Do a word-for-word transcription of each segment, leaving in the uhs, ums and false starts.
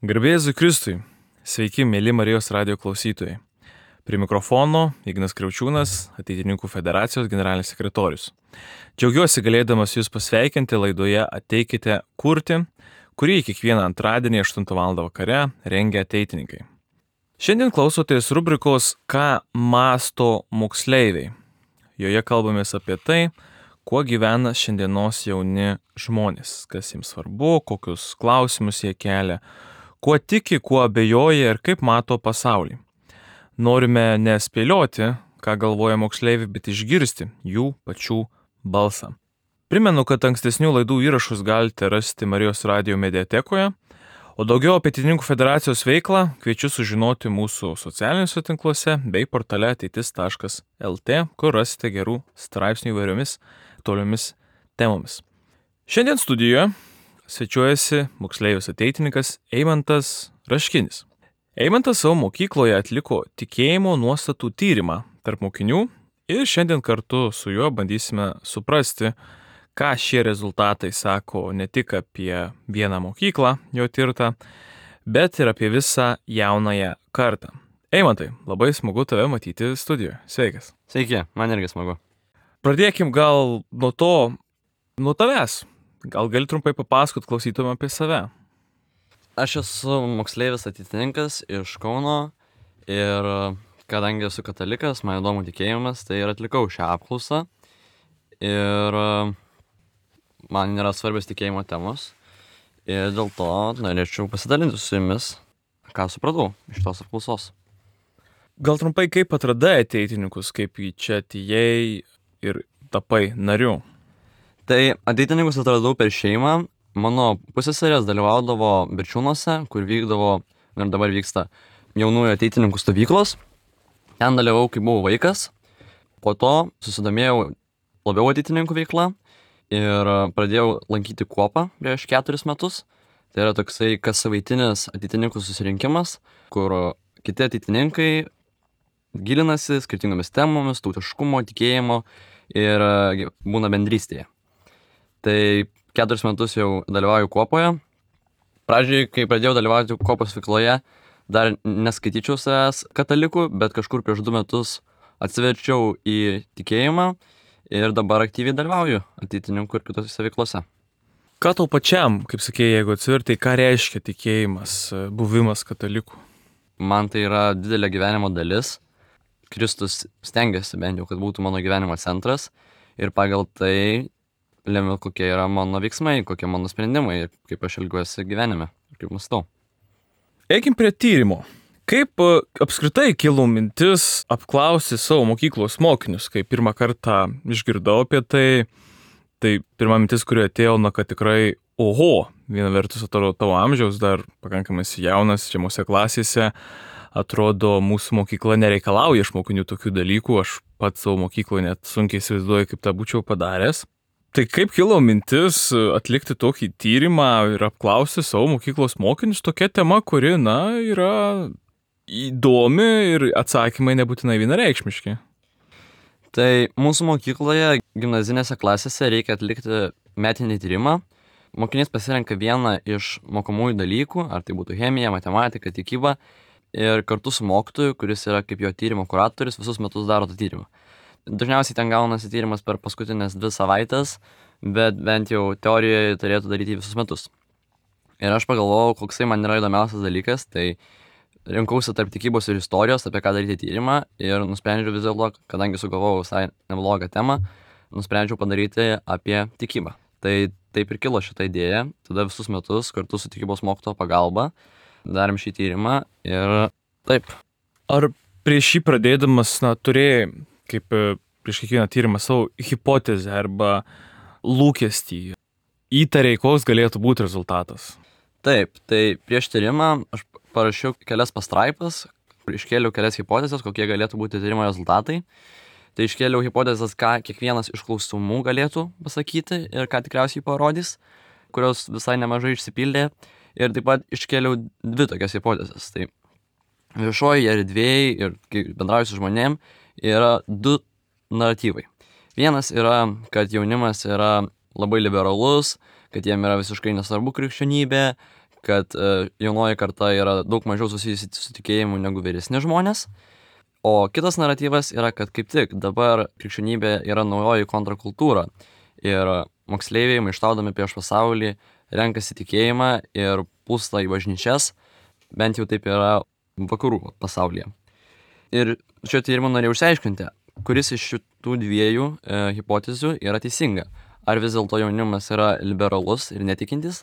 Garbė Jėzui Kristui. Sveiki, mėly Marijos radijo klausytojai. Prie mikrofono Ignas Kriaučiūnas, Ateitininkų federacijos generalinis sekretorius. Džiaugiuosi galėdamas jūs pasveikinti laidoje Ateikite kurti, kurį kiekvieną antradienį aštuntą valandą vakare rengia ateitininkai. Šiandien klausotės rubrikos Ką mąsto moksleiviai. Joje kalbamės apie tai, kuo gyvena šiandienos jauni žmonės, kas jiems svarbu, kokius klausimus jie kelia, kuo tiki, kuo abejoja ir kaip mato pasaulį. Norime nespėlioti, ką galvoja moksleiviai, bet išgirsti jų pačių balsą. Primenu, kad ankstesnių laidų įrašus galite rasti Marijos radijo mediatekoje, o daugiau apie Ateitininkų federacijos veiklą kviečiu sužinoti mūsų socialiniuose tinkluose bei portale ateitis taškas lt, kur rasite gerų straipsnių įvairiomis toliomis temomis. Šiandien studijoje svečiuojasi moksleivis ateitininkas Eimantas Raškinis. Eimantas savo mokykloje atliko tikėjimo nuostatų tyrimą tarp mokinių ir šiandien kartu su juo bandysime suprasti, ką šie rezultatai sako ne tik apie vieną mokyklą jo tirtą, bet ir apie visą jaunąją kartą. Eimantai, labai smagu tave matyti studijoje. Sveikas. Sveiki, man irgi smagu. Pradėkim gal nuo to, nuo tavęs. Gal gali trumpai papasakot klausytojams apie save? Aš esu moksleivis ateitininkas iš Kauno ir kadangi esu katalikas, man įdomu tikėjimas, tai ir atlikau šią apklausą. Ir man yra svarbios tikėjimo temos. Ir dėl to norėčiau pasidalinti su jumis, ką supratau iš tos apklausos. Gal trumpai, kaip atradai ateitininkus, kaip į čia atėjai ir tapai nariu? Tai ateitininkus atradau per šeimą. Mano pusseserės dalyvaudavo Birčiūnuose, kur vykdavo, ir dabar vyksta jaunųjų ateitininkų stovyklos. Ten dalyvau, kai buvau vaikas. Po to susidomėjau labiau ateitininkų veikla ir pradėjau lankyti kuopą prieš keturis metus. Tai yra toksai kassavaitinis ateitininkų susirinkimas, kur kiti ateitininkai gilinasi skirtingomis temomis, tautiškumo, tikėjimo ir būna bendrystėje. Tai keturis metus jau dalyvauju kuopoje. Pradžiai, kai pradėjau dalyvauti kuopos veikloje, dar neskaityčiau savęs katalikų, bet kažkur prieš du metus atsiverčiau į tikėjimą ir dabar aktyviai dalyvauju ateitininkų ir kitose veiklose. Ką tau pačiam, kaip sakėjai, jeigu atsivertai, ką reiškia tikėjimas, buvimas kataliku? Man tai yra didelė gyvenimo dalis. Kristus stengiasi bent jau, kad būtų mano gyvenimo centras ir pagal tai lemia, kokie yra mano veiksmai, kokie mano sprendimai ir kaip aš elgiuosi gyvenime, kaip mąstau. Eikim prie tyrimo. Kaip apskritai kilo mintis apklausti savo mokyklos mokinius, kai pirmą kartą išgirdau apie tai, tai pirma mintis, kuri atėjo, na, kad tikrai, oho, viena vertus atrodo tavo amžiaus, dar pakankamai jaunas, žemose klasėse, atrodo mūsų mokykla nereikalauja iš mokinių tokių dalykų, aš pats savo mokykloje net sunkiai įsivaizduoju, kaip tą būčiau padaręs. Tai kaip kilo mintis atlikti tokį tyrimą ir apklausti savo mokyklos mokinius tokia tema, kuri, na, yra įdomi ir atsakymai nebūtinai vienareikšmiški? Tai mūsų mokykloje gimnazinėse klasėse reikia atlikti metinį tyrimą. Mokinys pasirenka vieną iš mokomųjų dalykų, ar tai būtų chemija, matematika, tikyba, ir kartu su mokytoju, kuris yra kaip jo tyrimo kuratorius, visus metus daro tą tyrimą. Dažniausiai ten gaunasi tyrimas per paskutinės dvi savaitės, bet bent jau teorijoje turėtų daryti visus metus. Ir aš pagalvojau, koksai man yra įdomiausias dalykas, tai rinkausi tarp tikybos ir istorijos, apie ką daryti tyrimą ir nusprendžiau vis dėlto, kadangi sugalvojau visai neblogą temą, nusprendžiau padaryti apie tikybą. Tai taip ir kilo šitą idėją, tada visus metus kartu su tikybos mokytojo pagalba darėm šį tyrimą ir taip. Ar prieš šį pradėdamas, na, turėjai kaip prieš kiekvieną tyrimą savo hipotezę arba lūkestį, įtarei, koks galėtų būti rezultatas? Taip, tai prieš tyrimą aš parašiau kelias pastraipas, iškėliau kelias hipotezes, kokie galėtų būti tyrimo rezultatai. Tai iškėliau hipotezes, ką kiekvienas iš klausimų galėtų pasakyti ir ką tikriausiai parodys, kurios visai nemažai išsipildė. Ir taip pat iškėliau dvi tokias hipotezes. Tai viešoji erdvėje ir kai bendrauju su žmonėm, yra du naratyvai. Vienas yra, kad jaunimas yra labai liberalus, kad jiem yra visiškai nesvarbu krikščionybė, kad e, jaunoji karta yra daug mažiau susijusi su tikėjimu negu vyresni žmonės. O kitas naratyvas yra, kad kaip tik dabar krikščionybė yra naujoji kontrakultūra ir moksleiviai, maištaudami prieš pasaulį, renkasi tikėjimą ir pūsta į bažnyčias, bent jau taip yra vakarų pasaulyje. Ir šio tyrimo norėjau išsiaiškinti, kuris iš šitų dviejų e, hipotezių yra teisinga. Ar vis dėlto jaunimas yra liberalus ir netikintis,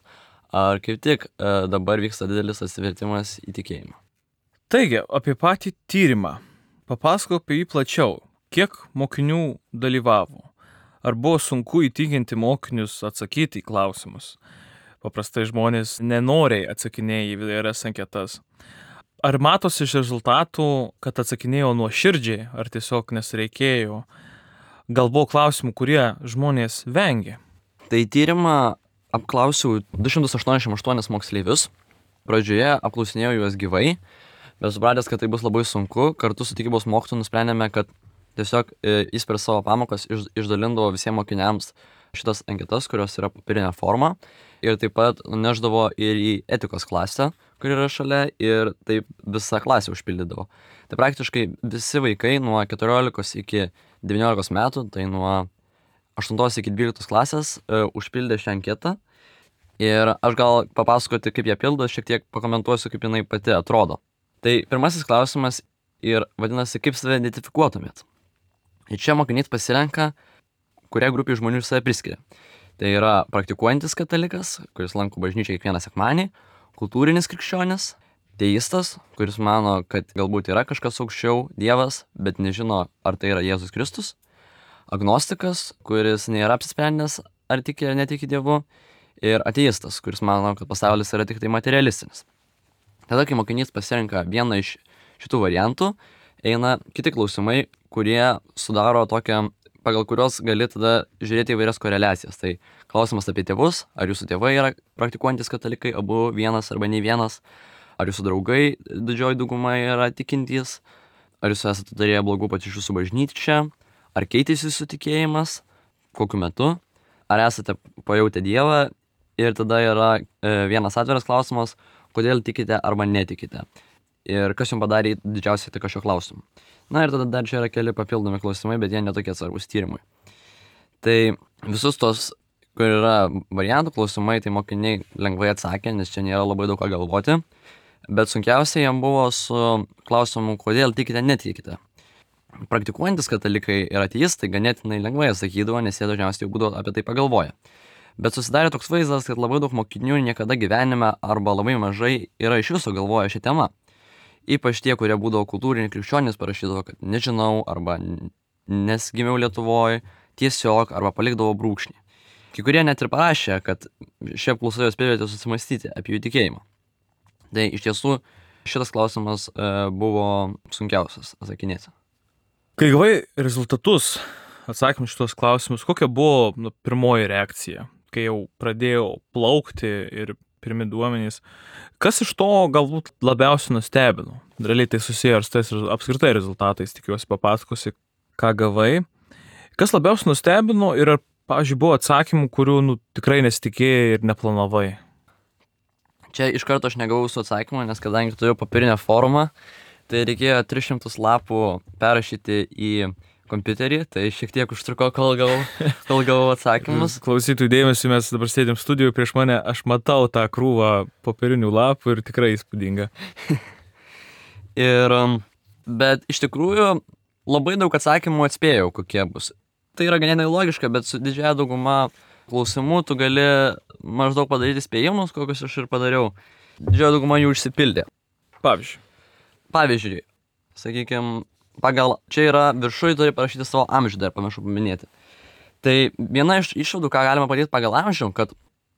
ar kaip tik e, dabar vyksta didelis atsivertimas į tikėjimą. Taigi, apie patį tyrimą. Papasakok apie jį plačiau. Kiek mokinių dalyvavo? Ar buvo sunku įtikinti mokinius atsakyti į klausimus? Paprastai žmonės nenoriai atsakinėja į įvairias anketas. Ar matosi iš rezultatų, kad atsakinėjo nuoširdžiai, ar tiesiog nesireikėjo? Gal buvo klausimų, kurie žmonės vengė? Tai tyrimą apklausiau du šimtus aštuoniasdešimt aštuonis moksleivius. Pradžioje apklausinėjau juos gyvai, bet supratęs, kad tai bus labai sunku, kartu su tikybos mokytoju nusprendėme, kad tiesiog jis per savo pamokas iš, išdalindavo visiems mokiniams šitas anketas, kurios yra popierinė forma, ir taip pat neždavo ir į etikos klasę, kur yra šalia, ir taip visą klasę užpildydavo. Tai praktiškai visi vaikai nuo keturiolikos iki devyniolikos metų, tai nuo aštuntos iki dvyliktos klasės, e, užpildė šią anketą. Ir aš gal papasakoti, kaip ją pildo, šiek tiek pakomentuosiu, kaip jinai pati atrodo. Tai pirmasis klausimas ir vadinasi, kaip save identifikuotumėt. Ir čia mokinys pasirenka, kurią grupį žmonių save priskiria. Tai yra praktikuojantis katalikas, kuris lanko bažnyčią kiekvieną sekmanį, kultūrinis krikščionis, teistas, kuris mano, kad galbūt yra kažkas aukščiau, Dievas, bet nežino, ar tai yra Jėzus Kristus, agnostikas, kuris nėra apsisprendęs, ar tiki ar netiki Dievu, ir ateistas, kuris mano, kad pasaulis yra tik tai materialistinis. Tada, kai mokinys pasirenka vieną iš šitų variantų, eina kiti klausimai, kurie sudaro tokią, pagal kurios gali tada žiūrėti įvairias koreliacijas. Tai klausimas apie tėvus, ar jūsų tėvai yra praktikuojantis katalikai, abu vienas arba nei vienas, ar jūsų draugai didžioji dauguma yra tikintys, ar jūs esate turėję blogų patirčių su bažnyčia, ar keitėsi jūsų tikėjimas, kokiu metu, ar esate pajautę Dievą, ir tada yra e, vienas atviras klausimas, kodėl tikite arba netikite. Ir kas jums padarė didžiausią įtaką šio klausimu. Na ir tada dar čia yra keli papildomi klausimai, bet jie netokie svarbus tyrimui. Tai visus tos, kur yra variantų klausimai, tai mokiniai lengvai atsakė, nes čia nėra labai daug ką galvoti. Bet sunkiausia jam buvo su klausimu, kodėl tikite, netikite. Praktikuojantis katalikai ir ateistai ganėtinai lengvai atsakydavo, nes jie dažniausiai jau būdavo apie tai pagalvoję. Bet susidarė toks vaizdas, kad labai daug mokinių niekada gyvenime arba labai mažai yra iš viso galvoję šią temą. Ypač tie, kurie būdavo kultūriniai krikščionys, parašydavo, kad nežinau, arba nesgimiau Lietuvoje, tiesiog, arba palikdavo brūkšnį. Kai kurie net ir parašė, kad šie apklausa juos privertė susimastyti apie jų tikėjimą. Tai iš tiesų šitas klausimas e, buvo sunkiausias atsakinėti. Kai gavai rezultatus, atsakymus šitos klausimus, kokia buvo nu, pirmoji reakcija, kai jau pradėjau plaukti ir pirmi duomenys? Kas iš to galbūt labiausiai nustebino? Realiai tai susiję ir su tais apskritai rezultatais, tikiuosi papasakosi, ką gavai. Kas labiausiai nustebino ir ar, pavyzdžiui, buvo atsakymų, kurių nu, tikrai nesitikėjai ir neplanavai? Čia iš karto aš negavau su atsakymu, nes kadangi turėjau papirinę formą, tai reikėjo tris šimtus lapų perrašyti į kompiuterį, tai šiek tiek užtruko, kol gavau, kol gavau atsakymus. Klausytojų dėmesį, mes dabar sėdėm studijoje prieš mane, aš matau tą krūvą popierinių lapų ir tikrai įspūdinga. Ir, bet iš tikrųjų labai daug atsakymų atspėjau, kokie bus. Tai yra ganėtinai logiška, bet su didžiąja dauguma klausimų tu gali maždaug padaryti spėjimus, kokius aš ir padariau. Didžioji dauguma jų išsipildė. Pavyzdžiui. Pavyzdžiui, sakykime, pagal, čia yra viršui, turi parašyti savo amžių, dar pamiršau paminėti. Tai viena iš išvadų, ką galima padaryti pagal amžių, kad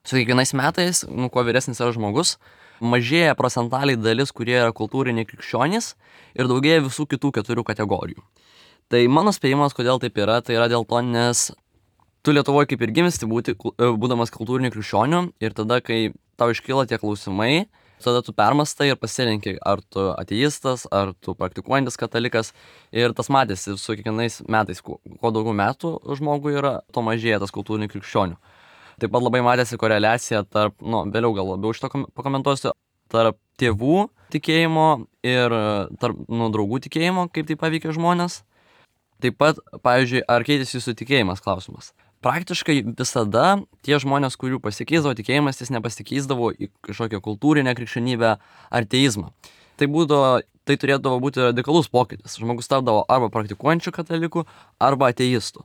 su kiekvienais metais, nu, kuo vyresnis yra žmogus, mažėja procentaliai dalis, kurie yra kultūriniai krikščionys, ir daugėja visų kitų keturių kategorijų. Tai mano spėjimas, kodėl taip yra, tai yra dėl to, nes tu Lietuvoje kaip ir gimsti būti, būdamas kultūriniu krikščioniu, ir tada, kai tau iškyla tie klausimai, tada tu permastai ir pasirenki, ar tu ateistas, ar tu praktikuojantis katalikas, ir tas matėsi su kiekvienais metais, kuo, kuo daugiau metų žmogui yra, to mažėja tas kultūrinių krikščionių. Taip pat labai matėsi koreliacija tarp, nu, vėliau gal labiau šito kom- pakomentuosiu, tarp tėvų tikėjimo ir tarp, nu, draugų tikėjimo, kaip tai paveikia žmonės. Taip pat, pavyzdžiui, ar keitėsi jūsų tikėjimas klausimas. Praktiškai visada tie žmonės, kurių pasikeisdavo tikėjimas, jis nepasikeisdavo į kažkokią kultūrinę krikščionybę ar teizmą. Tai, būdavo, tai turėdavo būti radikalus pokytis. Žmogus tapdavo arba praktikuojančių katalikų, arba ateistų.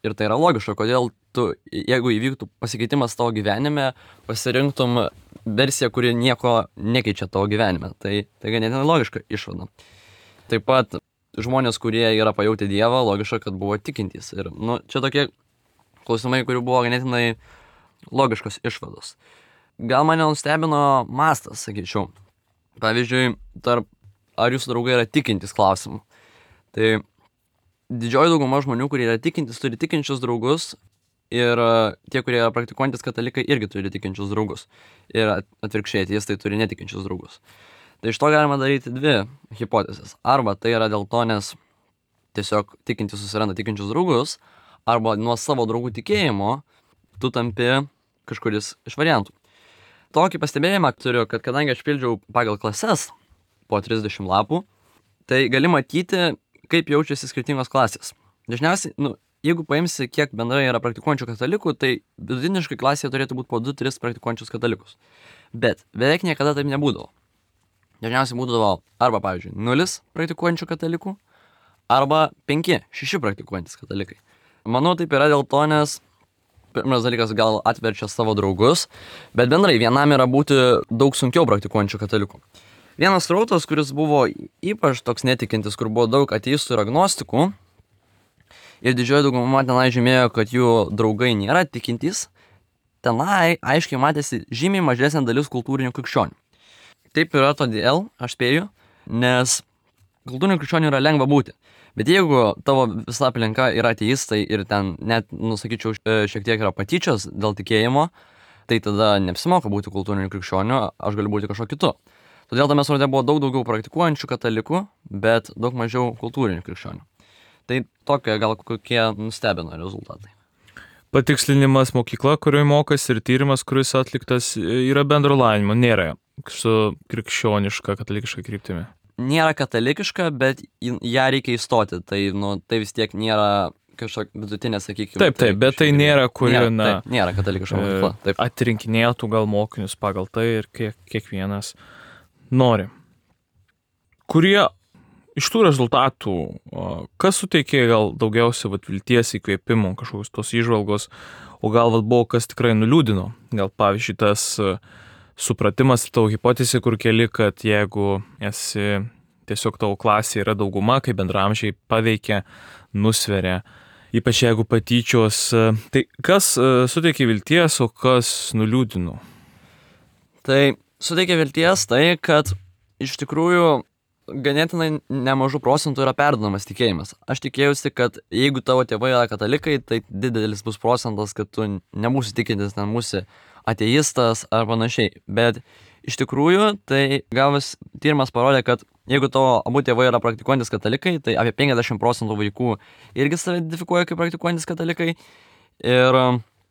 Ir tai yra logiška, kodėl tu, jeigu įvyktų pasikeitimas tavo gyvenime, pasirinktum versiją, kuri nieko nekeičia tavo gyvenime. Tai, tai ganėtinai logiška išvada. Taip pat žmonės, kurie yra pajautę Dievą, logiška, kad buvo tikintys. Ir nu, čia tokie klausimai, kurių buvo ganėtinai logiškos išvados. Gal mane nustebino mastas, sakyčiau. Pavyzdžiui, tarp ar jūsų draugai yra tikintys klausimų. Tai didžioji dauguma žmonių, kurie yra tikintys, turi tikinčius draugus ir tie, kurie yra praktikuojantis katalikai, irgi turi tikinčius draugus. Ir atvirkščiai, jis tai turi netikinčius draugus. Tai iš to galima daryti dvi hipotezės. Arba tai yra dėl to, nes tiesiog tikintys susiranda tikinčius draugus, arba nuo savo draugų tikėjimo tu tampi kažkuris iš variantų. Tokį pastebėjimą turiu, kad kadangi aš pildžiau pagal klases po trisdešimt lapų, tai gali matyti, kaip jaučiasi skirtingos klasės. Dažniausiai, nu, jeigu paimsi, kiek bendrai yra praktikuojančių katalikų, tai vidutiniškai klasėje turėtų būti po du tris praktikuojančius katalikus. Bet beveik niekada taip nebūdavo. Dažniausiai būdavo arba, pavyzdžiui, nulis praktikuojančių katalikų, arba penki šeši praktikuojantis katalikai. Manau, taip yra dėl to, nes pirmas dalykas gal atverčia savo draugus, bet bendrai vienam yra būti daug sunkiau praktikuojančių katalikų. Vienas srautas, kuris buvo ypač toks netikintis, kur buvo daug ateistų ir agnostikų, ir didžioji dauguma tenai žymėjo, kad jų draugai nėra tikintys, tenai aiškiai matėsi žymiai mažesnė dalis kultūrinių krikščionių. Taip yra todėl, aš spėju, nes kultūrinių krikščionių yra lengva būti. Bet jeigu tavo visa aplinka yra ateistai ir ten net, nusakyčiau, šiek tiek yra patyčios dėl tikėjimo, tai tada neapsimoka būti kultūriniu krikščioniu, aš galiu būti kažko kitu. Todėl tame sraute buvo daug daugiau praktikuojančių katalikų, bet daug mažiau kultūrinių krikščionių. Tai tokie gal kokie nustebino rezultatai. Patikslinimas mokykla, kurioje mokas ir tyrimas, kuris atliktas, yra bendro lavinimo, nėra su krikščioniška, katalikiška kryptimi. Nėra katalikiška, bet į ją reikia įstoti, tai, nu, tai vis tiek nėra kažkokia vidutinė, sakykime. Taip, taip, bet tai nėra, kuri, nėra, na, taip, nėra katalikiška mokykla. Taip. Atrinkinėtų gal mokinius pagal tai ir kiek, kiekvienas nori. Kurie iš tų rezultatų, kas suteikė gal daugiausia vat, vilties įkvėpimo, kažkokios tos įžvalgos, o gal vat, buvo kas tikrai nuliūdino. Gal pavyzdžiui tas supratimas ir tavo hipotezė, kur keli, kad jeigu esi tiesiog tavo klasė yra dauguma, kai bendramžiai paveikia, nusveria, ypač jeigu patyčios, tai kas suteikė vilties, o kas nuliūdino? Tai suteikė vilties tai, kad iš tikrųjų ganėtinai nemažų procentų yra perduodamas tikėjimas. Aš tikėjausi, kad jeigu tavo tėvai yra katalikai, tai didelis bus procentas, kad tu nebūsi tikintis, nebūsi ateistas ar panašiai. Bet iš tikrųjų, tai gavus tyrimas parodė, kad jeigu tavo abu tėvai yra praktikuojantis katalikai, tai apie penkiasdešimt procentų vaikų irgi save identifikuoja kaip praktikuojantis katalikai ir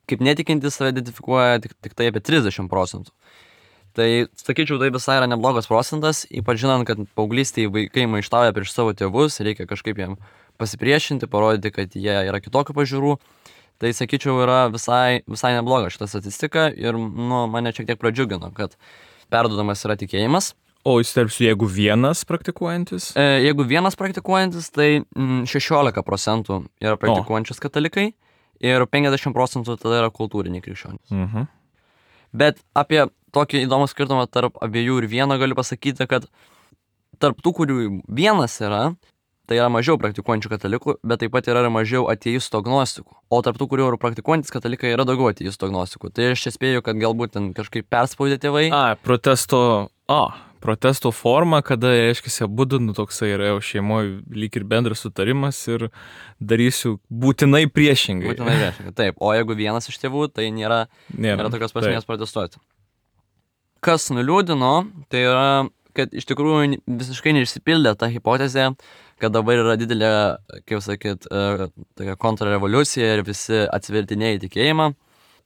kaip netikintis save identifikuoja tik, tik tai apie trisdešimt procentų. Tai, sakyčiau, tai visai yra neblogas procentas, ypač žinant, kad paauglystėje vaikai maištauja prieš savo tėvus, reikia kažkaip jiem pasipriešinti, parodyti, kad jie yra kitokių pažiūrų. Tai, sakyčiau, yra visai, visai nebloga šita statistika ir nu, mane šiek tiek pradžiugino, kad perduodamas yra tikėjimas. O įsterpsiu, jeigu vienas praktikuojantis? E, jeigu vienas praktikuojantis, tai mm, šešiolika procentų yra praktikuojančius katalikai ir penkiasdešimt procentų tada yra kultūriniai krikščionys. Mhm. Bet apie tokį įdomų skirtumą tarp abiejų ir vieno galiu pasakyti, kad tarp tų, kurių vienas yra, tai yra mažiau praktikuojančių katalikų, bet taip pat yra ir mažiau ateistų agnostikų. O tarp tų, kurių yra praktikuojantis katalikai, yra daugiau ateistų agnostikų. Tai aš čia spėju, kad galbūt ten kažkaip perspaudė tėvai. A, protesto, a, protesto forma, kada, reiškia, abudu, nu toksai yra jau šeimoje lyg ir bendras sutarimas ir darysiu būtinai priešingai. Būtinai priešingai, taip. O jeigu vienas iš tėvų, tai nėra, nėra, nėra tokios prasmės protestuoti. Kas nuliūdino, tai yra, kad iš tikrųjų visiškai neišsipildė ta hipotezė, kad dabar yra didelė, kaip sakyt, tokia kontrrevoliucija ir visi atsivertinėja į tikėjimą.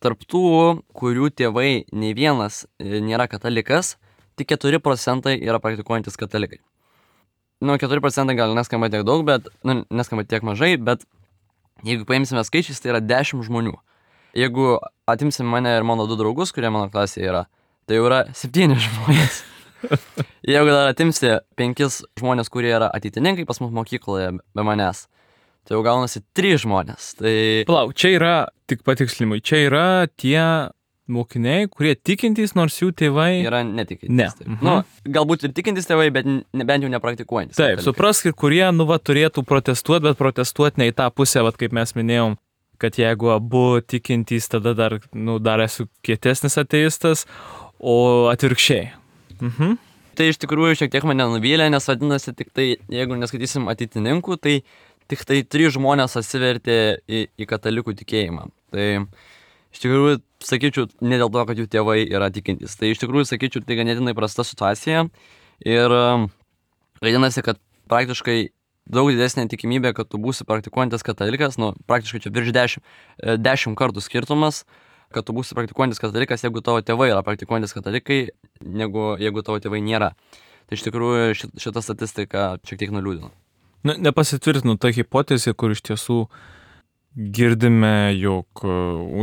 tarp tų, kurių tėvai nei vienas nėra katalikas, tik keturi procentai yra praktikuojantis katalikai. Nu, keturi procentai gal neskamba tiek daug, bet, nu, neskamba tiek mažai, bet jeigu paimsime skaičiais, tai yra dešimt žmonių. Jeigu atimsim mane ir mano du draugus, kurie mano klasėje yra, tai jau yra septyni žmonės. Jeigu dar atimsi penkis žmonės, kurie yra ateitininkai pas mus mokykloje be manęs, tai jau gaunasi trys žmonės. Tai... Palauk, čia yra, tik patikslimui, čia yra tie mokiniai, kurie tikintys, nors jų tėvai... Yra netikintys. Ne. Mhm. Nu, galbūt ir tikintys tėvai, bet ne, bent jau nepraktikuojantys. Taip, suprask, ir kurie, nu, va, turėtų protestuoti, bet protestuoti ne į tą pusę, va, kaip mes minėjom, kad jeigu abu tikintys, tada dar, nu, dar esu kietesnis ateistas, o atvirkščiai. Mhm. Tai iš tikrųjų šiek tiek mane nuvylė, nes vadinasi tik tai, jeigu neskaitysim ateitininkų, tai tik tai trys žmonės atsivertė į, į katalikų tikėjimą. Tai iš tikrųjų sakyčiau, ne dėl to, kad jų tėvai yra tikintys. Tai iš tikrųjų sakyčiau, tai ganėtinai prasta situacija ir vadinasi, kad praktiškai daug didesnė tikimybė, kad tu būsi praktikuojantis katalikas, nu praktiškai čia virš dešimt, dešimt kartų skirtumas, kad tu būsi praktikuojantis katalikas, jeigu tavo tėvai yra praktikuojantis katalikai, negu jeigu tavo tėvai nėra. Tai iš tikrųjų šita statistika šiek tiek nuliūdino. Na, nepasitvirtinu ta hipotezė, kur iš tiesų girdime, jog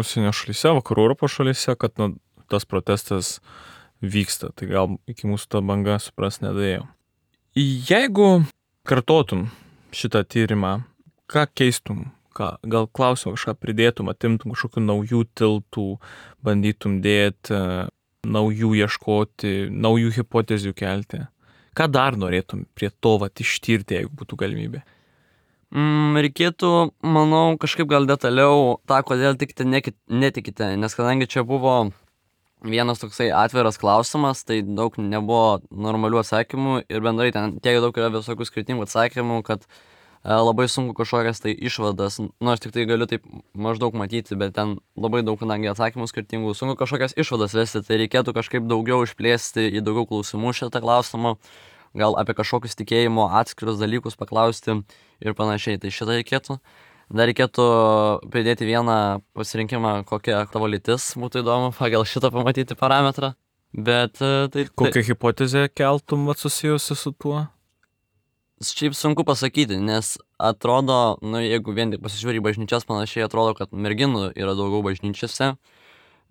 užsienio šalyse, vakarų Europos šalyse, kad nu, tas protestas vyksta. Tai gal iki mūsų ta banga supras nedėjo. Jeigu kartotum šitą tyrimą, ką keistum? Ką, gal klausimą kažką pridėtum, atimtum kažkokių naujų tiltų, bandytum dėti, naujų ieškoti, naujų hipotezių kelti. Ką dar norėtum prie to vat ištirti, jeigu būtų galimybė? Mm, reikėtų, manau, kažkaip gal detaliau tą, kodėl tikite, netikite, nes kadangi čia buvo vienas toksai atviras klausimas, tai daug nebuvo normalių atsakymų ir bendrai ten tiek daug yra visokių skirtingų atsakymų, kad labai sunku kažkokias tai išvadas, nu aš tik tai galiu taip maždaug matyti, bet ten labai daug, kadangi atsakymų skirtingų, sunku kažkokias išvadas vesti, tai reikėtų kažkaip daugiau išplėsti į daugiau klausimų šitą klausimą, gal apie kažkokius tikėjimo atskirus dalykus paklausti ir panašiai, tai šitą reikėtų. Dar reikėtų pridėti vieną pasirinkimą, kokia tavo lytis, būtų įdomu pagal šitą pamatyti parametrą, bet tai... Kokią tai... hipotezę keltum susijusi su tuo? Šiaip sunku pasakyti, nes atrodo, nu jeigu vien tik pasižiūrė į bažnyčias, panašiai atrodo, kad merginų yra daugiau bažnyčiose,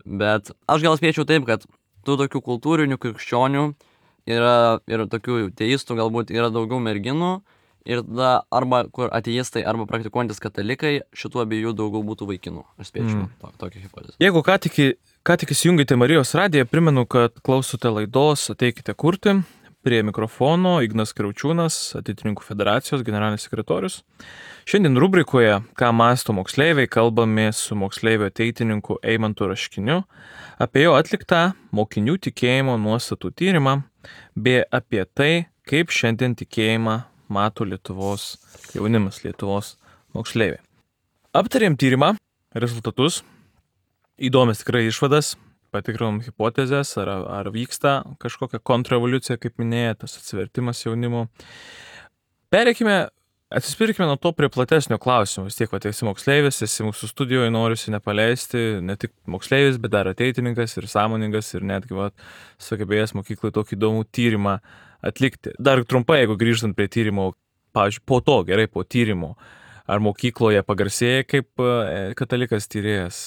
bet aš gal spėčiau taip, kad tų tokių kultūrinių krikščionių yra ir tokių teistų galbūt yra daugiau merginų ir tada arba kur ateistai arba praktikuojantis katalikai, šitų abiejų daugiau būtų vaikinų. Aš spėčiau mm. to, tokią hipotezę. Jeigu ką tik, ką tik įsijungėte Marijos radiją, primenu, kad klausote laidos Ateikite kurti. Prie mikrofono Ignas Kriaučiūnas, Ateitininkų federacijos generalinis sekretorius. Šiandien rubrikoje Ką mąsto moksleiviai kalbame su moksleivio ateitininku Eimantu Raškiniu apie jo atliktą mokinių tikėjimo nuostatų tyrimą bei apie tai, kaip šiandien tikėjimą mato Lietuvos jaunimas, Lietuvos moksleiviai. Aptarėm tyrimą, rezultatus, įdomias tikrai išvadas. Patikrinom hipotezės, ar, ar vyksta kažkokia kontrrevoliucija, kaip minėjai, tas atsivertimas jaunimo. Pereikime, atsispirkime nuo to prie platesnio klausimo. Vis tiek, va, esi moksleivis, esi mūsų studijoje, noriusi nepaleisti, ne tik moksleivis, bet dar ateitininkas ir sąmoningas ir netgi, va, sugebėjęs mokykloje tokį įdomų tyrimą atlikti. Dar trumpai, jeigu grįžtant prie tyrimo, pavyzdžiui, po to, gerai, po tyrimo, ar mokykloje pagarsėjai kaip katalikas tyrėjas?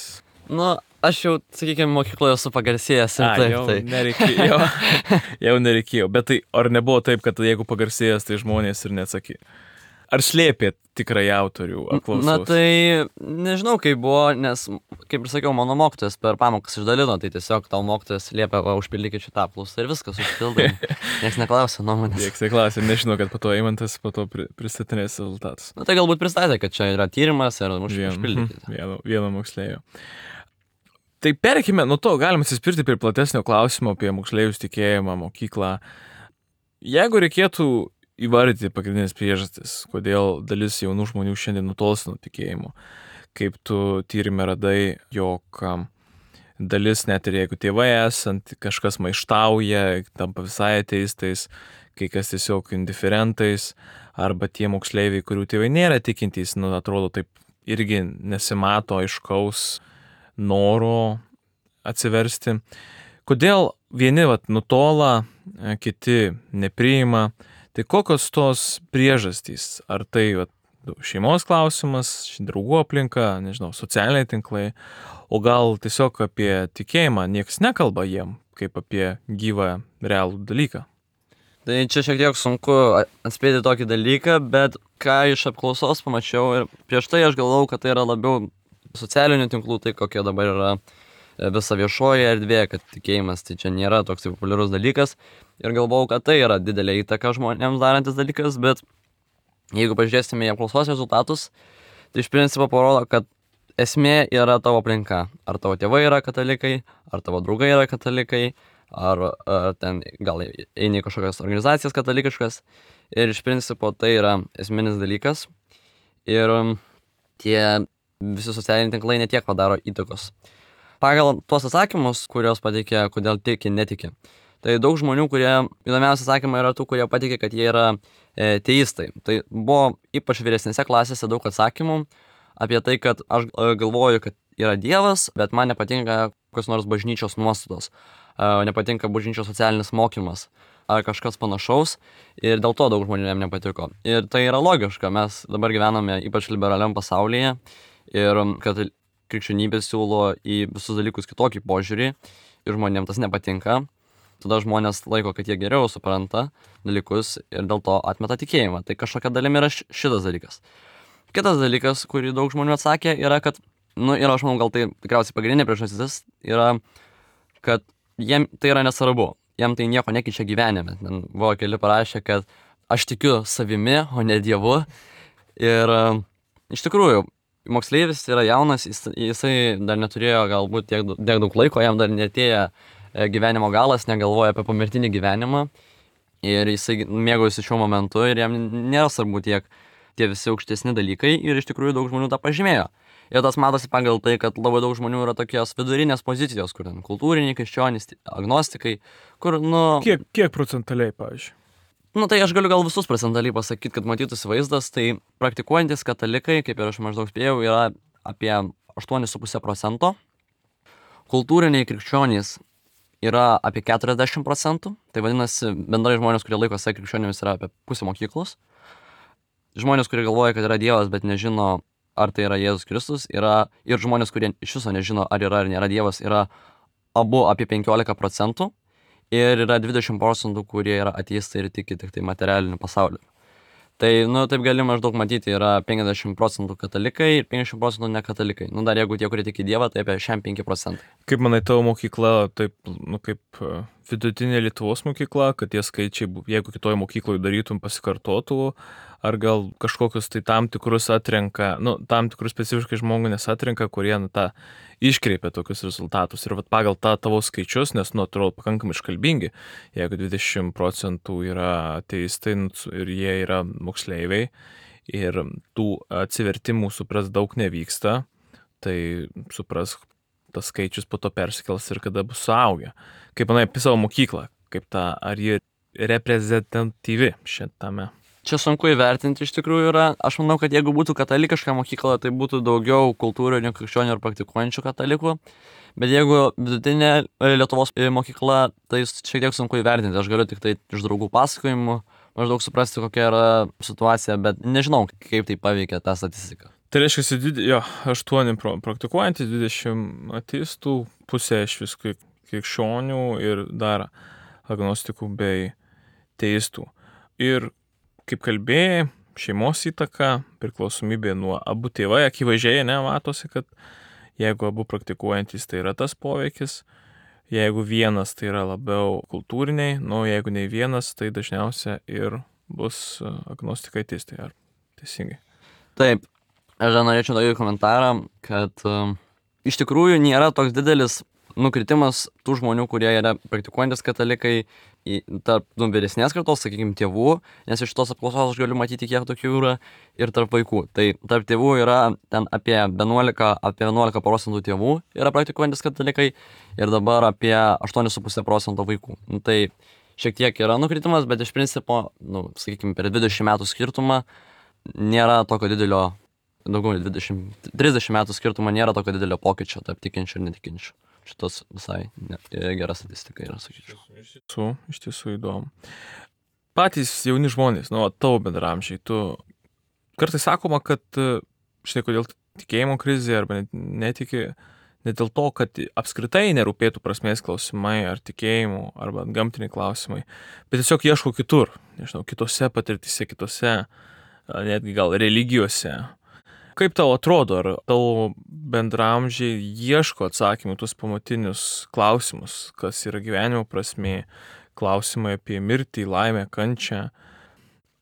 Nu, aš jau, sakykime, mokykloje esu pagarsėjęs ir A, taip, jau tai. Nereikėjo, jau nereikėjo. Bet tai, ar nebuvo taip, kad jeigu pagarsėjęs, tai žmonės ir neatsakė? Ar slėpėt tikrai autorių apklausos? Na tai, nežinau, kaip buvo, nes, kaip ir sakiau, mano mokytojas per pamokas išdalino, tai tiesiog tau mokytojas liepia, va, užpildykit šitą apklausą ir viskas užpildai. Niekas neklausė nuomonės. Niekas neklausė, nežinau, kad po to Eimantas po to pristatinės rezultatus. Na tai galbūt pristatė, kad čia yra tyrimas ir užpildykit. Vieno, vieno moksleivio. Tai perkime nuo to, galim atsispirti prie platesnio klausimo apie moksleivius tikėjimą, mokyklą. Jeigu reikėtų įvardyti pagrindinės priežastis, kodėl dalis jaunų žmonių šiandien nutolsta nuo tikėjimo, kaip tu tyrime radai, jog dalis, net ir jeigu tėvai esant, kažkas maištauja, tampa visai ateistais, kai kas tiesiog indiferentais, arba tie moksleiviai, kurių tėvai nėra tikintys, nu, atrodo taip irgi nesimato aiškaus noro atsiversti. Kodėl vieni vat, nutola, kiti nepriima, tai kokios tos priežastys? Ar tai vat, šeimos klausimas, draugų aplinka, nežinau, socialiniai tinklai, o gal tiesiog apie tikėjimą niekas nekalba jiem, kaip apie gyvą, realų dalyką? Tai čia šiek tiek sunku atspėti tokį dalyką, bet ką iš apklausos pamačiau ir prieš tai aš galvojau, kad tai yra labiau socialinių tinklų, tai kokie dabar yra visa viešoji erdvė, kad tikėjimas tai čia nėra toks populiarus dalykas ir galvojau, kad tai yra didelė įtaka žmonėms darantis dalykas, bet jeigu pažiūrėsime į apklausos rezultatus, tai iš principo parodo, kad esmė yra tavo aplinka. Ar tavo tėvai yra katalikai, ar tavo draugai yra katalikai, ar, ar ten gal eini į kažkokias organizacijas katalikiškas. Ir iš principo tai yra esminis dalykas. Ir tie visi socialiniai tinklai netiek padaro įtakos. Pagal tuos atsakymus, kuriuos pateikė, kodėl tiki, netiki. Tai daug žmonių, kurie, įdomiausia atsakymai yra tų, kurie patikė, kad jie yra e, teistai. Tai buvo ypač vyresnėse klasėse daug atsakymų apie tai, kad aš galvoju, kad yra Dievas, bet man nepatinka kokios nors bažnyčios nuostatos, e, nepatinka bažnyčios socialinis mokymas ar kažkas panašaus ir dėl to daug žmonių jam nepatiko. Ir tai yra logiška, mes dabar gyvename ypač liberaliam pasaulyje ir kad krikščionybė siūlo į visus dalykus kitokį požiūrį ir žmonėms tas nepatinka. Tada žmonės laiko, kad jie geriau supranta dalykus ir dėl to atmeta tikėjimą. Tai kažkokia dalimi yra šitas dalykas. Kitas dalykas, kurį daug žmonių atsakė, yra, kad, nu ir aš manau, gal tai tikriausiai pagrindinė priežastis, yra, kad jiem tai yra nesvarbu. Jiem tai nieko nekeičia gyvenime. Ten buvo keli parašę, kad aš tikiu savimi, o ne Dievu. Ir iš tikrųjų, moksleivis yra jaunas, jis, jisai dar neturėjo galbūt tiek, tiek daug laiko, jam dar netėjo gyvenimo galas, negalvoja apie pomirtinį gyvenimą ir jisai mėgaujasi šiuo momentu ir jam nėra svarbu tiek tie visi aukštesni dalykai ir iš tikrųjų daug žmonių tą pažymėjo. Ir tas matosi pagal tai, kad labai daug žmonių yra tokios vidurinės pozicijos, kur ten kultūriniai, krikščionys, agnostikai, kur, nu... Kiek, kiek procentaliai, pavyzdžiui? Nu, tai aš galiu gal visus procentaliai pasakyti, kad matytųsi vaizdas, tai praktikuojantis katalikai, kaip ir aš maždaug spėjau, yra apie aštuoni su puse procento. Kultūriniai krikščionys yra apie keturiasdešimt procentų, tai vadinasi, bendrai žmonės, kurie laiko save krikščionimis, yra apie pusę mokyklos. Žmonės, kurie galvoja, kad yra Dievas, bet nežino, ar tai yra Jėzus Kristus, yra ir žmonės, kurie iš viso nežino, ar yra ar nėra Dievas, yra abu apie penkiolika procentų ir yra dvidešimt procentų, kurie yra ateistai ir tiki tik tai materialiniu pasauliu. Tai, nu, taip gali maždaug matyti, yra penkiasdešimt procentų katalikai ir penkiasdešimt procentų nekatalikai. Nu, dar jeigu tie, kurie tiki Dievą, tai apie šešiasdešimt penki procentai. Kaip manai, tavo mokykla, taip, nu, kaip vidutinė Lietuvos mokykla, kad tie skaičiai, jeigu kitoje mokykloje darytum, pasikartotų, ar gal kažkokius tai tam tikrus atrenka, nu, tam tikrus specifiškai žmonės atrenka, kurie, nu, tą iškreipia tokius rezultatus. Ir vat pagal tą tavo skaičius, nes, nu, atrodo pakankamai iškalbingi, jeigu dvidešimt procentų yra ateistai ir jie yra moksleiviai ir tų atsivertimų supras daug nevyksta, tai supras, tas skaičius po to persikels ir kada bus suaugę. Kaip manai apie savo mokyklą, kaip ta, ar ji reprezentatyvi šitame? Čia sunku įvertinti iš tikrųjų yra. Aš manau, kad jeigu būtų katalikiška mokykla, tai būtų daugiau kultūrinių krikščionių ir praktikuojančių katalikų. Bet jeigu vidutinė Lietuvos mokykla, tai šiek tiek sunku įvertinti. Aš galiu tik tai iš draugų pasakojimų maždaug suprasti, kokia yra situacija, bet nežinau, kaip tai paveikia tą statistiką. Tai reiškia, jo, aštuoni praktikuojantys, dvidešimt ateistų, pusė iš viskų krikščionių ir dar agnostikų bei teistų. Ir kaip kalbėjai, šeimos įtaka, priklausomybė nuo abu tėvai, akivaizdžiai nematosi, kad jeigu abu praktikuojantys, tai yra tas poveikis, jeigu vienas, tai yra labiau kultūriniai, nu jeigu ne vienas, tai dažniausiai ir bus agnostikai teistai, ar teisingai? Taip, aš dar norėčiau daryti komentarą, kad um, iš tikrųjų nėra toks didelis nukritimas tų žmonių, kurie yra praktikuojantis katalikai, tarp nu, vyresnės kartos, sakykime, tėvų, nes iš tos apklausos aš galiu matyti, kiek tokių yra, ir tarp vaikų. Tai tarp tėvų yra ten apie vienuolika, apie vienuolika procentų tėvų yra praktikuojantis katalikai ir dabar apie aštuoni su puse procento vaikų. Nu, tai šiek tiek yra nukritimas, bet iš principo, nu, sakykime, per dvidešimt metų skirtumą nėra tokio didelio daugiau dvidešimt trisdešimt metų skirtumo nėra tokio didelio pokyčio tarp tikinčių ir netikinčių. Šitas visai ne, gera statistika yra, sakyčiau. Iš tiesų, iš tiesų įdomu. Patys jauni žmonės, nu, tavo bendraamžiai, tu kartais sakoma, kad štai kodėl tikėjimo krizė arba netiki, ne dėl to, kad apskritai nerūpėtų prasmės klausimai ar tikėjimų arba gamtiniai klausimai, bet tiesiog ieško kitur, nežinau, kitose patirtise, kitose, netgi gal religijose. Kaip tau atrodo, ar tavo bendraamžiai ieško atsakymų tuos pamatinius klausimus, kas yra gyvenimo prasmė, klausimai apie mirtį, laimę, kančią?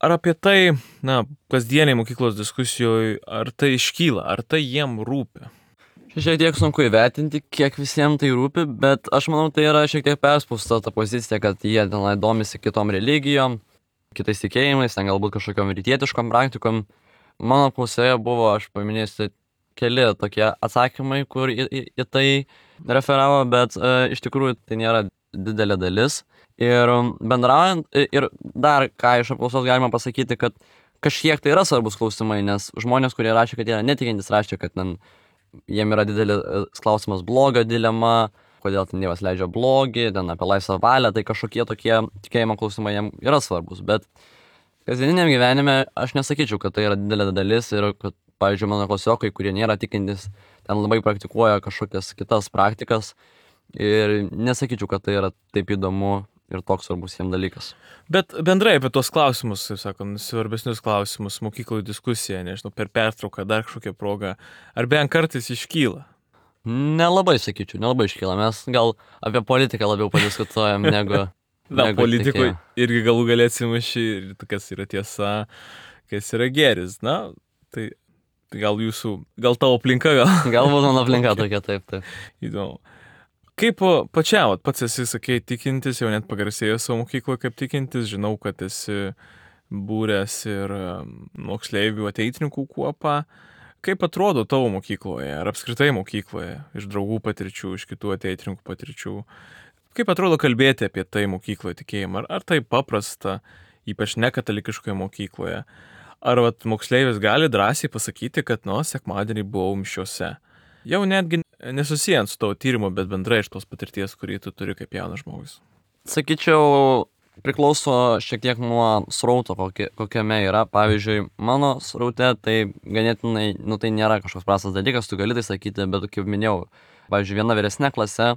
Ar apie tai, na, kasdieniai mokyklos diskusijoje, ar tai iškyla, ar tai jiem rūpi? Šiek tiek sunku įvertinti, kiek visiems tai rūpi, bet aš manau, tai yra šiek tiek perspausta ta pozicija, kad jie tenai domisi kitom religijom, kitais tikėjimais, ten galbūt kažkokiom rytietiškom praktikom. Mano apklausoje buvo, aš paminėsiu, keli tokie atsakymai, kur į, į, į tai referavo, bet e, iš tikrųjų tai nėra didelė dalis. Ir bendraujant, ir dar ką iš apklausos galima pasakyti, kad kažkiek tai yra svarbus klausimai, nes žmonės, kurie rašė, kad jie yra netikintis, rašė, kad ten, jiem yra didelis klausimas blogio dilema, kodėl ten Dievas leidžia blogį, ten apie laisvą valią, tai kažkokie tokie tikėjimo klausimai jiem yra svarbus, bet kasdieniniam gyvenime aš nesakyčiau, kad tai yra didelė dalis ir kad, pavyzdžiui, mano klasiokai, kurie nėra tikintis, ten labai praktikuoja kažkokias kitas praktikas ir nesakyčiau, kad tai yra taip įdomu ir toks svarbus jiems dalykas. Bet bendrai apie tuos klausimus, kaip sakant, svarbesnius klausimus, mokykloje diskusija, nežinau, per pertrauką, dar kažkokią progą, ar bent kartais iškyla? Nelabai sakyčiau, nelabai iškyla. Mes gal apie politiką labiau padiskutuojam negu... Na, politikui irgi galų galę atsimuši, kas yra tiesa, kas yra gėris. Na, tai, tai gal jūsų, gal tavo aplinka gal. Galbūt mano aplinka tokia, taip, taip. Įdomu. Kaip pačiam, pats esi, sakei, tikintis, jau net pagarsėjo savo mokykloje kaip tikintis, žinau, kad esi būręs ir moksleivių ateitininkų kuopą. Kaip atrodo tavo mokykloje, ar apskritai mokykloje, iš draugų patirčių, iš kitų ateitininkų patirčių? Kaip atrodo kalbėti apie tai mokykloje tikėjimą? Ar, ar tai paprasta, ypač nekatalikiškoje mokykloje? Ar vat, moksleivis gali drąsiai pasakyti, kad, nu, sekmadienį buvau mišiose? Jau netgi nesusijant su tavo tyrimo, bet bendrai iš tos patirties, kurį tu turi kaip jaunas žmogus. Sakyčiau, priklauso šiek tiek nuo srauto, kokie, kokiame yra. Pavyzdžiui, mano sraute tai ganėtinai, nu tai nėra kažkoks prastas dalykas, tu gali tai sakyti, bet kaip minėjau, pavyzdžiui, viena vyresnė klase,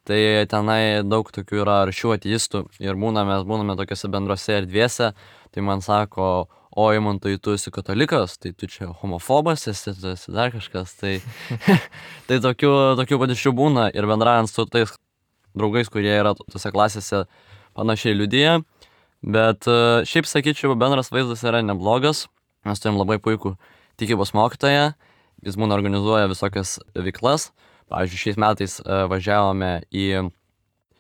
tai tenai daug tokių yra aršių ateistų ir būname, mes būname tokiose bendrose erdvėse, tai man sako, o Eimantai, tu esi katalikas, tai tu čia homofobas, esi, tu esi dar kažkas, tai, tai tokių, tokių patirčių būna ir bendraujant su tais draugais, kurie yra tose klasėse panašiai liudija, bet šiaip sakyčiau, bendras vaizdas yra neblogas, mes turim labai puikų tikybos mokytoją, jis būna organizuoja visokias veiklas. Pavyzdžiui, šiais metais važiavome į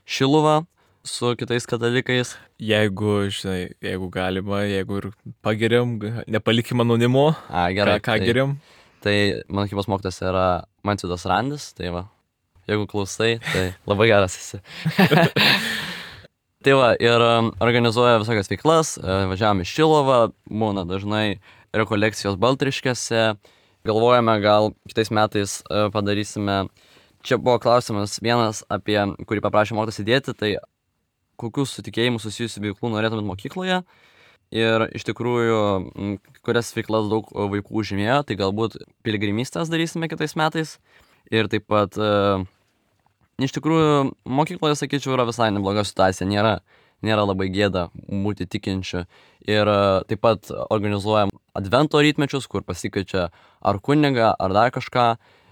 Šiluvą su kitais katalikais. Jeigu, žinai, jeigu galima, jeigu ir pageriam, nepalikim anonimo, A, gerai, ką, ką tai, geriam. Tai mano tikybos mokytojas yra Mancidas Randis, tai va, jeigu klausai, tai labai geras esi. Tai va, ir organizuoja visokias veiklas, važiavome į Šiluvą, būna dažnai rekolekcijos Baltriškėse. Galvojame, gal kitais metais padarysime, čia buvo klausimas vienas, apie kurį paprašė mokytojas įdėti, tai kokius su tikėjimu susijusių veiklų norėtumėt mokykloje. Ir iš tikrųjų, kurias veiklas daug vaikų užimėjo, tai galbūt piligrimystės darysime kitais metais. Ir taip pat, iš tikrųjų, mokykloje, sakyčiau, yra visai nebloga situacija, nėra, nėra labai gėda būti tikinčiu. Ir taip pat organizuojam advento rytmečius, kur pasikeičia ar kunigą, ar dar kažką,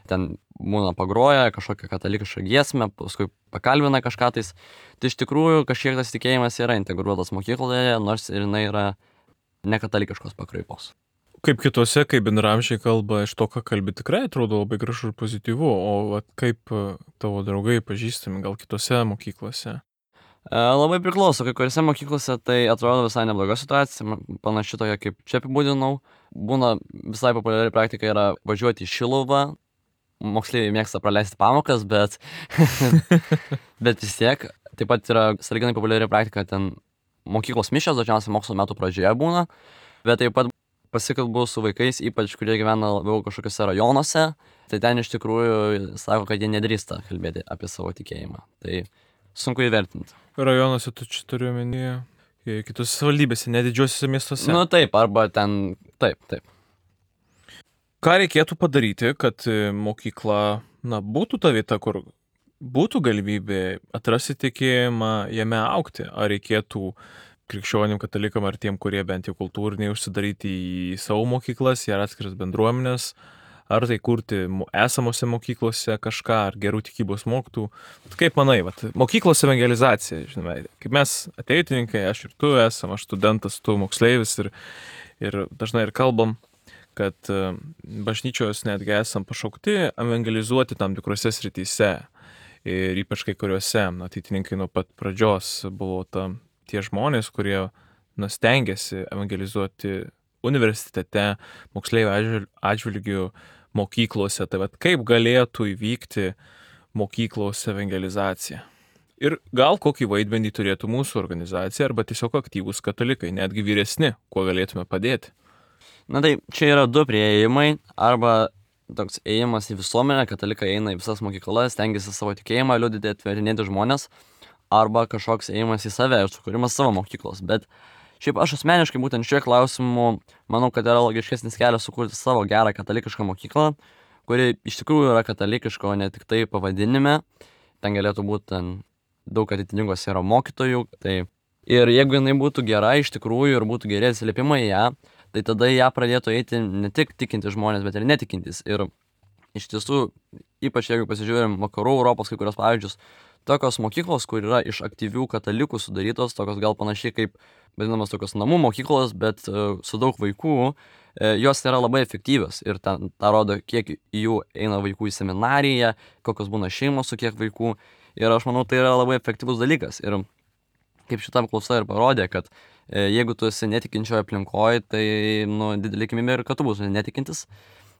ten būna pagroja kažkokią katalikišką giesmę, paskui pakalbina kažką tais. Tai iš tikrųjų kažkiek tas tikėjimas yra integruotas mokykloje, nors ir jinai yra nekatalikiškos pakraipos. Kaip kitose, kaip bendraamžiai kalba, iš to, ką kalbi, tikrai atrodo labai gražu ir pozityvu, o vat, kaip tavo draugai pažįstami gal kitose mokyklose? Labai priklauso, kai kuriuose mokyklose tai atrodo visai nebloga situacija, panaši tokia kaip čia apibūdinau. Būna visai populiari praktika yra važiuoti į Šiluvą, moksleiviai mėgsta praleisti pamokas, bet, bet vis tiek. Taip pat yra sąlyginai populiari praktika, ten mokyklos mišios dažniausiai mokslo metų pradžioje būna, bet taip pat pasikalbu su vaikais, ypač kurie gyvena labiau kažkokiuose rajonuose, tai ten iš tikrųjų sako, kad jie nedrįsta kalbėti apie savo tikėjimą. Tai sunku įvertinti. Rajonuose tu čia turiu omenyje, kitose savivaldybėse, nedidžiuosiuose miestuose. Nu taip, arba ten, taip, taip. Ką reikėtų padaryti, kad mokykla, na, būtų ta vieta, kur būtų galimybė atrasti tikėjimą, jame augti? Ar reikėtų krikščionim, katalikam ar tiem, kurie bent jau kultūriniai užsidaryti į savo mokyklas, į atskiras bendruomenės, ar tai kurti esamose mokyklose kažką, ar gerų tikybos mokytų? Kaip manai, vat, mokyklos evangelizacija, žinome, kaip mes ateitininkai, aš ir tu esam, aš studentas, tu moksleivis ir, ir dažnai ir kalbam, kad bažnyčios netgi esam pašaukti evangelizuoti tam tikrose srityse. Ir ypač kai kuriuose, ateitininkai nuo pat pradžios buvo ta, tie žmonės, kurie na, stengiasi evangelizuoti universitete, moksleivių atžvilgių, mokyklose. Tai vat, kaip galėtų įvykti mokyklos evangelizacija? Ir gal kokį vaidmenį turėtų mūsų organizacija arba tiesiog aktyvūs katalikai, netgi vyresni, kuo galėtume padėti? Na tai čia yra du prieėjimai, arba toks ėjimas į visuomenę, katalikai eina į visas mokyklas, stengiasi savo tikėjimą liudyti, atverinėti žmonės, arba kažkoks ėjimas į save ir sukūrimas savo mokyklos. Bet šiaip aš asmeniškai būtent šiuo klausimu manau, kad yra logiškesnis kelias sukurti savo gerą katalikišką mokyklą, kuri iš tikrųjų yra katalikiška, o ne tik tai pavadinime. Ten galėtų būti ten daug atitinkos yra mokytojų. Tai ir jeigu jinai būtų gera iš tikrųjų ir būtų geri atsiliepimai į ją, tai tada ją pradėtų eiti ne tik tikinti žmonės, bet ir netikintis. Ir iš tiesų, ypač jeigu pasižiūrėjom vakarų Europos kai kurios pavyzdžius, tokios mokyklos, kur yra iš aktyvių katalikų sudarytos, tokios gal panašiai kaip vadinamas tokios namų mokyklos, bet uh, su daug vaikų, uh, jos yra labai efektyvios. Ir tą rodo, kiek jų eina vaikų į seminariją, kokios būna šeimos su kiek vaikų. Ir aš manau, tai yra labai efektyvus dalykas. Ir kaip šitam klausa ir parodė, kad e, jeigu tu esi netikinčioje aplinkoje, tai nu, didelį tikimybė ir kad tu būsi netikintis.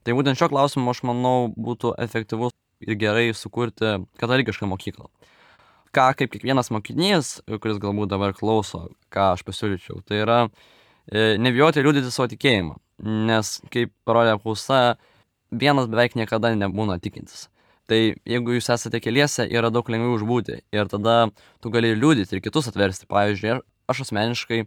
Tai būtent šio klausimu, aš manau, būtų efektyvus ir gerai sukurti katalikišką mokyklą. Ką kaip kiekvienas mokinys, kuris galbūt dabar klauso, ką aš pasiūlyčiau, tai yra e, nebijoti liudyti savo tikėjimą. Nes, kaip parodė apklausa, vienas beveik niekada nebūna tikintis. Tai jeigu jūs esate keliese, yra daug lengviau užbūti ir tada tu gali liudyti ir kitus atversti. Pavyzdžiui, aš asmeniškai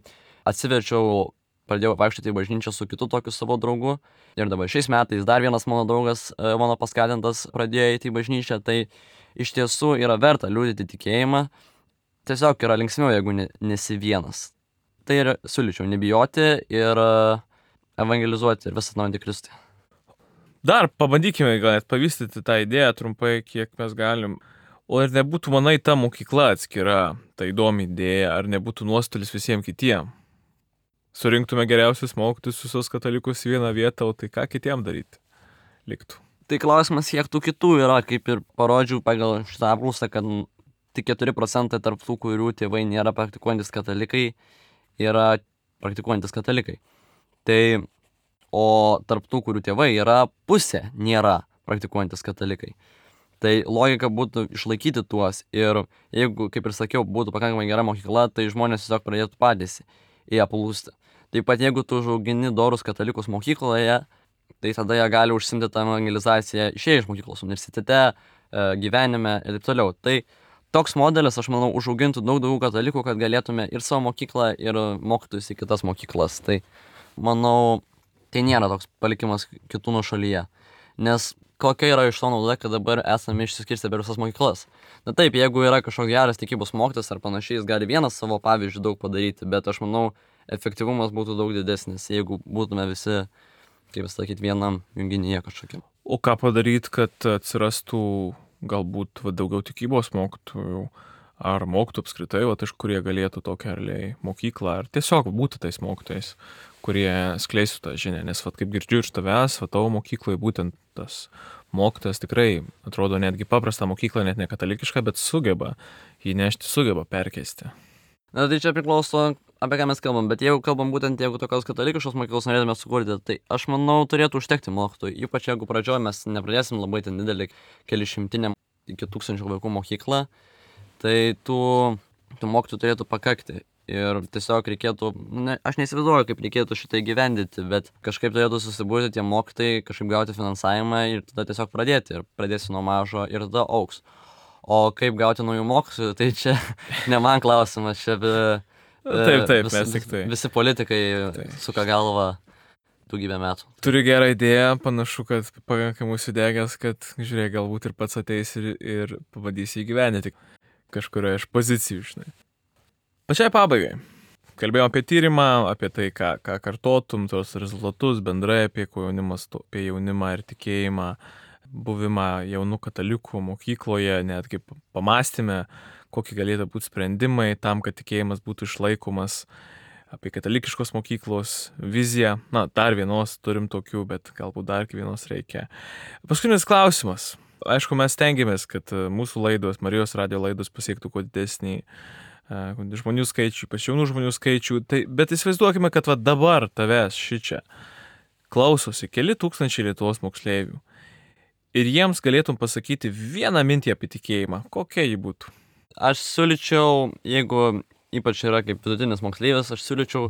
atsiverčiau, pradėjau vaikščioti į bažnyčią su kitu tokiu savo draugu ir dabar šiais metais dar vienas mano draugas, mano paskatintas, pradėjo eiti į bažnyčią. Tai iš tiesų yra verta liudyti tikėjimą, tiesiog yra linksmiau, jeigu ne, nesi vienas. Tai ir siūlyčiau nebijoti ir evangelizuoti ir visą atnaujinti Kristui. Dar pabandykime gal net pavystyti tą idėją trumpai, kiek mes galim. O ar nebūtų, manai, ta mokykla atskira, ta įdomi idėja, ar nebūtų nuostolis visiems kitiem? Surinktume geriausius mokytojus visus katalikus į vieną vietą, o tai ką kitiem daryti liktų? Tai klausimas, kiek tų kitų yra, kaip ir parodžiau pagal šitą apklausą, kad tik keturi procentai tarp tų, kurių tėvai nėra praktikuojantis katalikai, yra praktikuojantis katalikai. Tai o tarp tų, kurių tėvai yra pusė, nėra praktikuojantis katalikai. Tai logika būtų išlaikyti tuos ir jeigu, kaip ir sakiau, būtų pakankamai gera mokykla, tai žmonės tiesiog pradėtų patys į ją plūsti. Taip pat jeigu tu užaugini dorus katalikus mokykloje, tai tada jie gali užsimti tą evangelizaciją išėję iš mokyklos, universitete, gyvenime ir taip toliau. Tai toks modelis, aš manau, užaugintų daug daugiau katalikų, kad galėtume ir savo mokyklą, ir mokytojus į kitas mokyklas. Tai manau, tai nėra toks palikimas kitų nuošalyje. Nes kokia yra iš to nauda, kad dabar esame išsiskirstę per visas mokyklas. Na taip, jeigu yra kažkoks geras tikybos mokytojas ar panašiai, jis gali vienas savo pavyzdžių daug padaryti, bet aš manau, efektyvumas būtų daug didesnis, jeigu būtume visi, kaip sakyti, vienam junginyje kažkokiam. O ką padaryti, kad atsirastų galbūt va, daugiau tikybos mokytojų, ar mokytojų apskritai, va, iš kurie galėtų tokią realiai mokyklą, ar tiesiog būti tais mokytojais, kurie skleistų tą žinią, nes vat, kaip girdžiu iš tavęs, va, tavo mokykloje būtent tas mokytojas tikrai atrodo netgi paprasta mokykla, net ne katalikiška, bet sugeba jį nešti, sugeba perkeisti. Na tai čia priklauso, apie ką mes kalbam, bet jeigu kalbam būtent, jeigu tokios katalikiškos mokyklos norėtume sukurti, tai aš manau turėtų užtekti mokytojų, ypač jeigu pradžioje mes nepradėsim labai ten didelį keli šimtinę iki tūkstančių vaikų mokyklą, tai tų, tų mokytojų turėtų pakakti. Ir tiesiog reikėtų, ne, aš neįsivaizduoju, kaip reikėtų šitai gyvendyti, bet kažkaip turėtų susibūrti tie mokytojai, kažkaip gauti finansavimą ir tada tiesiog pradėti. Ir pradėsi nuo mažo ir tada auks. O kaip gauti naujų mokytojų, tai čia ne man klausimas, čia be, Taip, taip, vis, mes tik tai. visi politikai tai. Suka galvą daugybę metų. Turiu gerą idėją, panašu, kad pakankamai sudegęs, kad, žiūrėk, galbūt ir pats ateis ir, ir pavadys įgyvendinti kažkurioje iš pozicijų, žinai. Pačiai pabaigai. Kalbėjom apie tyrimą, apie tai, ką, ką kartotum, tos rezultatus bendrai apie jaunimas, apie jaunimą ir tikėjimą, buvimą jaunų katalikų mokykloje, netgi pamastėme, kokie galėtų būti sprendimai tam, kad tikėjimas būtų išlaikomas, apie katalikiškos mokyklos viziją. Na, dar vienos turim tokių, bet galbūt dar vienos reikia. Paskutinis klausimas. Aišku, mes stengiamės, kad mūsų laidos, Marijos radijo laidos pasiektų kuo didesnį žmonių skaičių, ypač jaunų žmonių skaičių, tai, bet įsivaizduokime, kad va dabar tavęs šičia klausosi keli tūkstančiai Lietuvos moksleivių ir jiems galėtum pasakyti vieną mintį apie tikėjimą, kokia ji būtų? Aš siūlyčiau, jeigu ypač yra kaip vidutinis moksleivis, aš siūlyčiau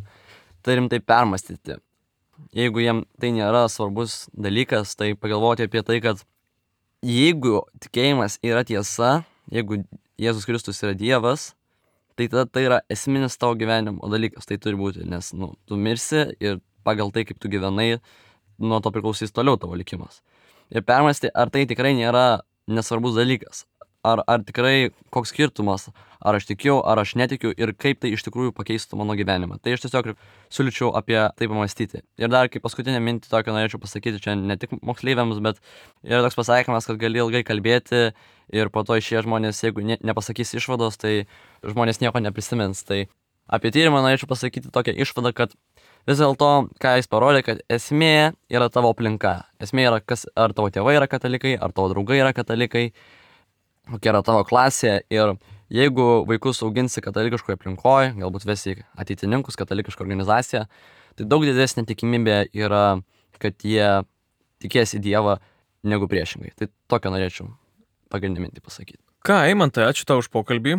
tai rimtai permastyti. Jeigu jiem tai nėra svarbus dalykas, tai pagalvoti apie tai, kad jeigu tikėjimas yra tiesa, jeigu Jėzus Kristus yra Dievas, tai tada tai yra esminis tavo gyvenimo dalykas, tai turi būti, nes nu, tu mirsi ir pagal tai, kaip tu gyvenai, nuo to priklausys toliau tavo likimas. Ir permasti, ar tai tikrai nėra nesvarbus dalykas, ar, ar tikrai koks skirtumas, ar aš tikiu, ar aš netikiu ir kaip tai iš tikrųjų pakeistų mano gyvenimą. Tai aš tiesiog siūlyčiau apie tai pamastyti. Ir dar kaip paskutinę mintį tokią norėčiau pasakyti, čia ne tik moksleiviams, bet yra toks pasakymas, kad gali ilgai kalbėti ir po to išėję žmonės, jeigu ne, nepasakys išvados, tai žmonės nieko neprisimins. Tai apie tyrimą norėčiau pasakyti tokią išvadą, kad vis dėlto, ką jis parodė, kad esmė yra tavo aplinka. Esmė yra, kas, ar tavo tėvai yra katalikai, ar tavo draugai yra katalikai, kokia yra tavo klasė. Ir jeigu vaikus auginsi katalikiškoje aplinkoje, galbūt vesi ateitininkus, katalikišką organizaciją, tai daug didesnė tikimybė yra, kad jie tikės į Dievą negu priešingai. Tai tokią norėčiau pagrindinę mintį pasakyti. Ką, Eimantai, ačiū tau už pokalbį,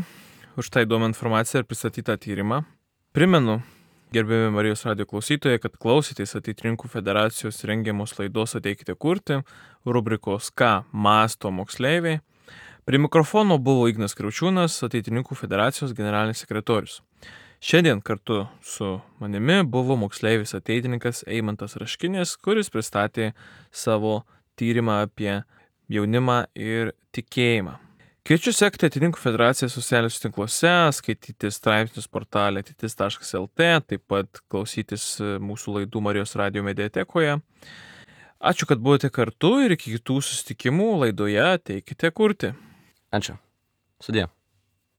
už tą įdomią informaciją ir pristatytą tyrimą. Primenu, gerbiami Marijos radijo klausytojai, kad klausytės Ateitininkų federacijos rengiamos laidos Ateikite kurti, rubrikos Ką mąsto moksleiviai. Prie mikrofono buvo Ignas Kriaučiūnas, Ateitininkų federacijos generalinis sekretorius. Šiandien kartu su manimi buvo moksleivis ateitininkas Eimantas Raškinis, kuris pristatė savo tyrimą apie jaunimą ir tikėjimą. Kviečiu sekti Ateitininkų federacijos socialiniuose tinkluose, skaityti straipsnius portale ateitis taškas el tė, taip pat klausytis mūsų laidų Marijos radijo mediatekoje. Ačiū, kad buvote kartu ir iki kitų susitikimų laidoje Ateikite kurti. Ačiū. Sudie.